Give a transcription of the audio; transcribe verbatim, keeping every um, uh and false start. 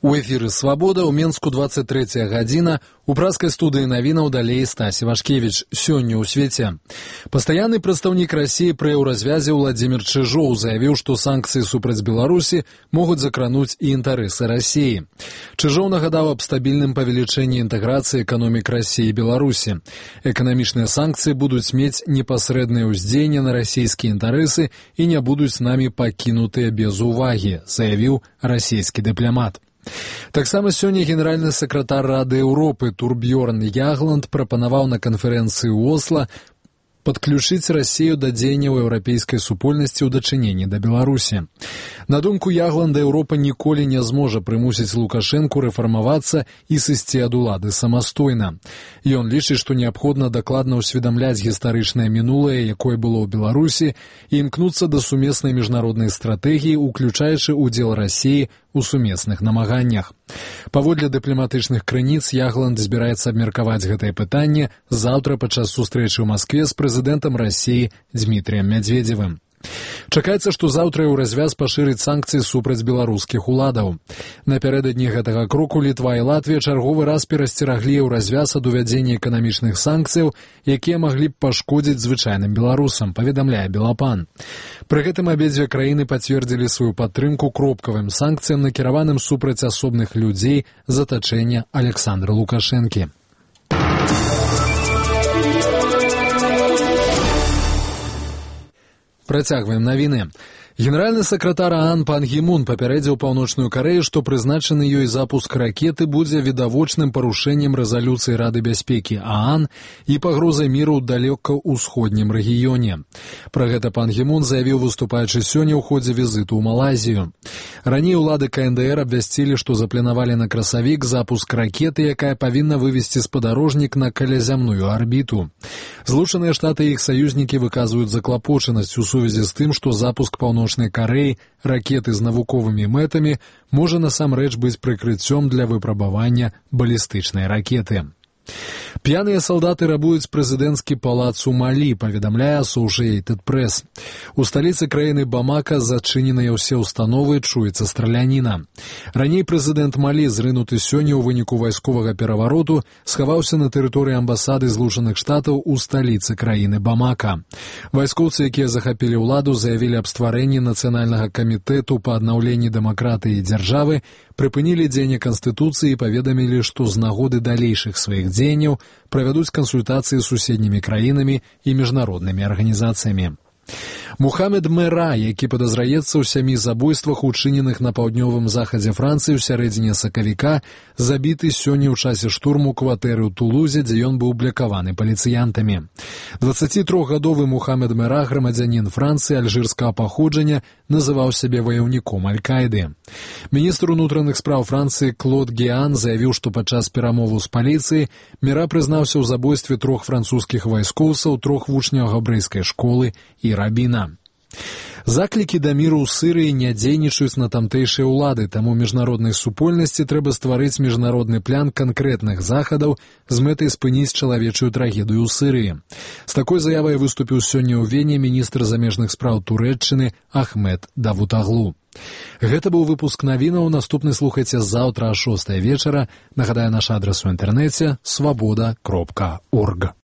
У эфіры «Свабода» ў Менску двадцать третья гадзіна. У праскай студыі навінаў далей Стась Івашкевіч. Сёння ў свеце. Пастаянны прадстаўнік Расіі пры еўразвязе Владзімір Чыжоў заявіў, што санкцыі супраць Беларусі могуць закрануць і інтарэсы Расіі. Чыжоў нагадаў аб стабільным павелічэнні інтэграцыі эканомік Расіі і Беларусі. Эканамічныя санкцыі будуць мець непасрэднае ўздзеянне на расійскія інтарэсы і не будуць намі пакінутыя без увагі, заявіў расійскі дыпламат. Таксама сёння генеральны сакратар Рады Еўропы Турбьёрн Ягланд прапанаваў на канферэнцыі ў Осла падключыць Расію да дзеянняў еўрапейскай супольнасці ў дачыненні да Беларусі. На думку Ягланда, Еўропа ніколі не зможа прымусіць Лукашэнку рэфармавацца і сысці ад улады самастойна. Ён лічыць, што неабходна дакладна ўсведамляць гістарычнае мінулае, якое было ў Беларусі, і імкнуцца да сумеснай міжнароднай стратэгіі, уключаючы ўдзел Расіі у сумесных намаганнях. Паводле дыпламатычных крыніц, Ягланд збіраецца абмеркаваць гэтае пытанне заўтра падчас сустрэчы ў Маскве з прэзідэнтам Расіі Дмітрыем Мядзведзевым. Чакаецца, што заўтра еўразвяз пашырыць санкцыі супраць беларускіх уладаў. Напярэдадні гэтага кроку Літва і Латвія чарговы раз перасцераглі еўразвяз ад увядзення эканамічных санкцыяў, якія маглі б пашкодзіць звычайным беларусам, паведамляе Белапан. Пры гэтым абедзве краіны пацвердзілі сваю падтрымку кропкавым санкцыям, накіраваным супраць асобных людзей з атачэння Александра Лукашэнкі. Працягваем навіны. Генеральны сакратар ААН Пан Гі Мун папярэдзіў Паўночную Карэю, што прызначаны ёй запуск ракеты будзе відавочным парушэннем рэзалюцыі Рады бяспекі ААН і пагрозай міру ў далёка-ўсходнім рэгіёне. Пра гэта Пан Гі Мун заявіў, выступаючы сёння ў ходзе візіту ў Малайзію. Раней улады Ка Эн Дэ Эр абвясцілі, што запланавалі на красавік запуск ракеты, якая павінна вывесці спадарожнік на калязямную арбіту. Злучаныя Штаты і іх саюзнікі выказваюць заклапочанасць у сувязі з тым, што запуск Паўночнай Карэі ракеты з навуковымі мэтамі можа насамрэч быць прыкрыццём для выпрабавання балістычнай ракеты. П'яныя салдаты рабуюць прэзідэнцкі палац у Малі, паведамляе Associated Press. У сталіцы краіны Бамака зачыненыя ўсе ўстановы, чуецца страляніна. Раней прэзідэнт Малі, зрынуты сёння ў выніку вайсковага перавароту, схаваўся на тэрыторыі амбасады Злучаных Штатаў у сталіцы краіны Бамака. Вайскоўцы, якія захапілі ўладу, заявілі аб стварэнні нацыянальнага камітэту па аднаўленні дэмакратыі і дзяржавы, прыпынілі дзеянне Канстытуцыі і паведамілі, што з нагоды далейшых сваіх дзеянняў правядуць кансультацыі з суседнімі краінамі і міжнароднымі арганізацыямі. Мухамед Мера, які падазраецца ў сямі забойствах, учыненых на паўднёвым захадзе Францыі ў сярэдзіне сакавіка, забіты сёння ў часе штурму кватэры ў Тулузе, дзе ён быў блякаваны паліцыянтамі. дваццацітрохгадовы Мухамед Мера, грамадзянін Францыі альжырскага паходжання, называў сябе ваяўніком Аль-Каіды. Міністр унутраных спраў Францыі Клод Геан заявіў, што падчас перамоваў з паліцыяй Мера прызнаўся ў забойстве трох французскіх вайскоўцаў, трох вучняў габрэйскай школы і рабіна. Заклікі да міру ў Сырыі не дзейнічаюць на тамтэйшыя ўлады, таму міжнароднай супольнасці трэба стварыць міжнародны план канкрэтных захадаў з мэтай спыніць чалавечую трагедыю ў Сырыі. З такой заявай выступіў сёння ў Вене міністр замежных спраў Турэччыны Ахмед Давутаглу. Гэта быў выпуск навінаў. Наступны слухайце заўтра а шостай вечара. Нагадаю, наш адрас у інтэрнэце свабода кропка орг.